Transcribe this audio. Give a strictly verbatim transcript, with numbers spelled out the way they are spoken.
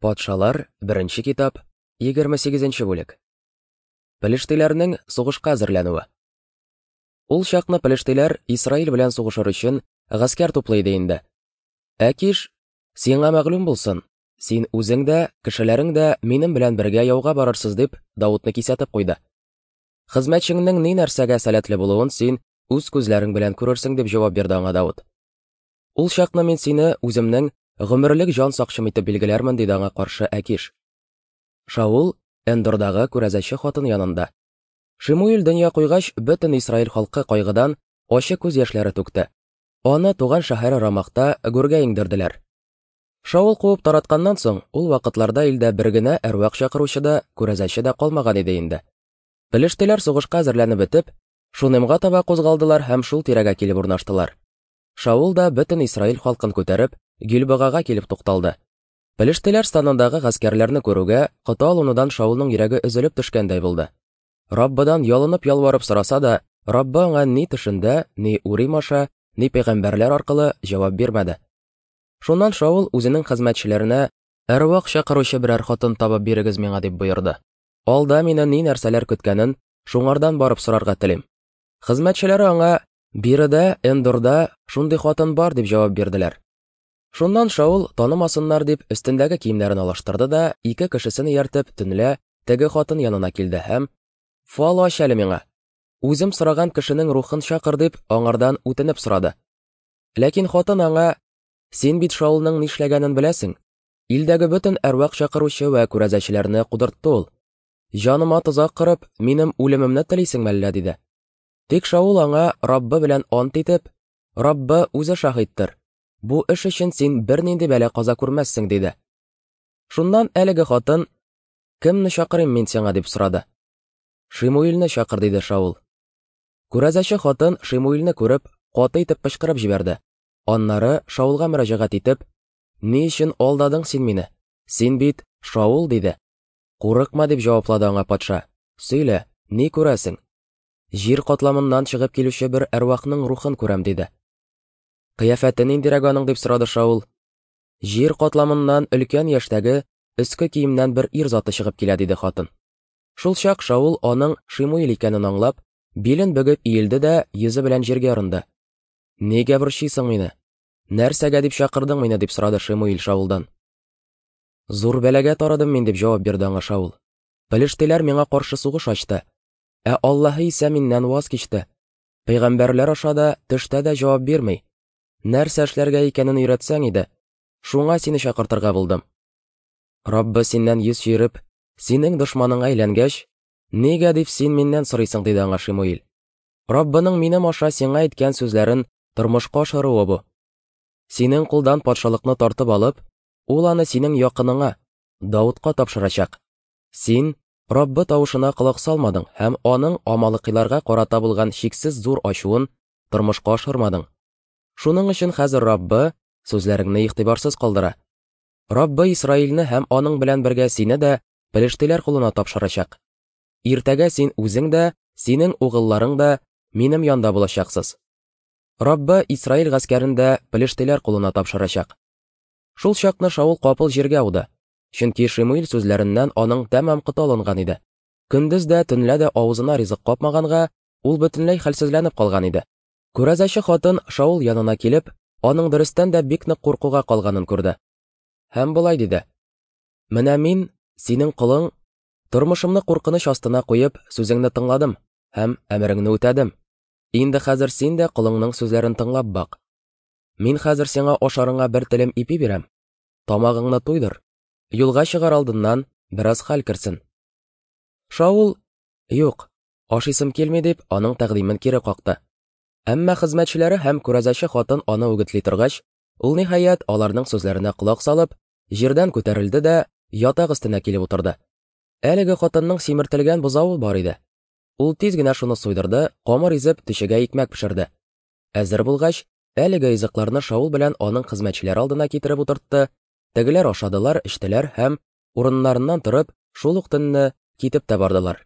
Патшалар, беренче китап, егерме сигезенче бүлек. Пелештиләрнең сугышка әзерләнүе. Ул чакны пелештиләр Исраил белән сугышыр өчен гаскәр туплый иде инде. Әкиш, сиңа мәгълүм булсын, син үзең дә, кешеләрең дә минем белән бергә яуга барырсыз дип, Давытны кисәтеп куйды. Хезмәтчеңнең ни нәрсәгә сәләтле булуын син үз күзләрең белән күрерсең дип җавап бирде аңа Давыт. Ул чакны мин сине үземнең гомерлек җан сакчым итеп билгеләрмен, диде аңа каршы Әкиш. Шаул Эндордагы күрәзәче хатын янында. Шимуил дөнья куйгач, бөтен Исраил халкы кайгыдан ачы күз яшьләре түкте. Аны туган шәһәре Рамахта гүргә иңдерделәр. Шаул куып таратканнан соң, ул вакытларда илдә бер генә әрвах чакыручы да, күрәзәче дә калмаган иде инде. Пелештиләр сугышка әзерләнеп бетеп, Шунемга таба кузгалдылар һәм шул тирәгә килеп урнаштылар. Шаул да бөтен Исраил халкын күтәреп, Гилбогага килеп тукталды. Пелештиләр станындагы гаскәрләрне күрүгә, коты алынудан Шаулның йөрәге өзелеп төшкәндәй булды. Раббыдан ялынып ялварып сораса да, Раббы аңа ни төшендә, ни Урим аша, ни пәйгамбәрләр аркылы җавап бирмәде. Шуннан Шаул үзенең хезмәтчеләренә әрвах чакыручы берәр хатын табып бирегез миңа дип боерды. Алда мине ни нәрсәләр көткәнен шуңардан барып сорарга телим. Хезмәтчеләре аңа биредә, Эндорда шундый хатын бар дип җавап бирделәр. Шуннан Шаул танымасыннар дип өстендәге киемнәрен алыштырды да, ике кешесен ияртеп төнлә теге хатын янына килде һәм «Фал ач әле миңа, үзем сораган кешенең рухын чакыр» дип аңардан үтенеп сорады. Ләкин хатын аңа «Син бит Шаулның нишләгәнен беләсең, илдәге бөтен әрвах чакыручы вә күрәзәчеләрне кудыртты ул. Җаныма тозак корып, минем үлемемне телисеңме әллә?» диде. Тик Шаул аңа Раббы белән ант итеп, «Раббы үзе шаһиттыр, бу эш өчен син бернинди бәла-каза күрмәссең», диде. Шуннан әлеге хатын, «Кемне чакырыйм мин сиңа?» дип сорады. «Шимуилне чакыр», диде Шаул. Күрәзәче хатын Шимуилне күреп, каты итеп кычкырып җибәрде. Аннары Шаулга мөрәҗәгать итеп, «Ни өчен алдадың син мине? Син бит Шаул», диде. «Курыкма», дип җаваплады аңа патша. «Сөйлә, ни күрәсең?» «Җир катламыннан чыгып килүче бер әрвахның рухын күрәм», диде. «Кыяфәте ниндирәк аның?» дип сорады Шаул. «Җир катламыннан өлкән яшьтәге өске киемнән бер ир заты чыгып килә», диде хатын. Шул чак Шаул аның Шимуил икәнен аңлап, билен бөгеп иелде дә йөзе белән җиргә орынды. «Нигә борчыйсың мине? Нәрсәгә дип чакырдың мине?» дип сорады Шимуил Шаулдан. «Зур бәлагә тарыдым мин», дип җавап бирде аңа Шаул. «Пелештиләр миңа каршы сугыш ачты, ә Аллаһы исә миннән ваз кичте. Пәйгамбәрләр аша да, төштә дә җавап бирми. Нәрсә эшләргә икәнен өйрәтсәң иде, шуңа сине чакыртырга булдым. Раббы синнән йөз чөереп, синең дошманыңа әйләнгәч, нигә дип син миннән сорыйсың?» диде аңа Шимуил. «Раббының минем аша сиңа әйткән сүзләрен тормышка ашыруы бу. Синең кулдан патшалыкны тартып алып, ул аны синең якыныңа, Давытка тапшырачак. Син Раббы тавышына колак салмадың һәм аның амалыкиларга карата булган чиксез зур ачуын тормышка ашырмадың. Шуның өчен хәзер Раббы сүзләреңне игътибарсыз калдыра. Раббы Исраилне һәм аның белән бергә сине дә пелештиләр кулына тапшырачак. Иртәгә син үзең дә, синең угылларың да минем янда булачаксыз. Раббы Исраил гаскәрен дә пелештиләр кулына тапшырачак». Шул чакны Шаул капыл җиргә ауды, чөнки Шимуил сүзләреннән аның тәмам коты алынган иде. Көндез дә, төнлә дә авызына ризык капмаганга, ул бөтенләй хәлсезләнеп калган иде. Күрәзәче хатын Шаул янына килеп, аның дөрестән дә бик нык куркуга калганын күрде. Һәм болай диде: «Менә мин, синең колың, тормышымны куркыныч астына куеп, сүзеңне тыңладым һәм әмереңне үтәдем. Инде хәзер син дә колыңның сүзләрен тыңлап бак. Мин хәзер сиңа ашарыңа бер телем ипи бирәм. Тамагыңны туйдыр. Юлга чыгар алдыннан бераз хәл керсен». Шаул: «Юк, ашыйсым килми», дип, аның тәкъдимен кире какты. Әмма хезмәтчеләре һәм күрәзәче хатын аны үгетли торгач, ул ниһаять аларның сүзләренә колак салып, җирдән күтәрелде дә ятак өстенә килеп утырды. Әлеге хатынның симертелгән бозавы бар иде. Ул тиз генә шуны суйдырды, камыр изеп, төшегә икмәк пешерде. Әзер булгач, әлеге ризыкларны Шаул белән аның хезмәтчеләре алдына китереп утыртты. Тегеләр ашадылар, эчтеләр һәм урыннарыннан торып, шул ук төнне китеп тә бардылар.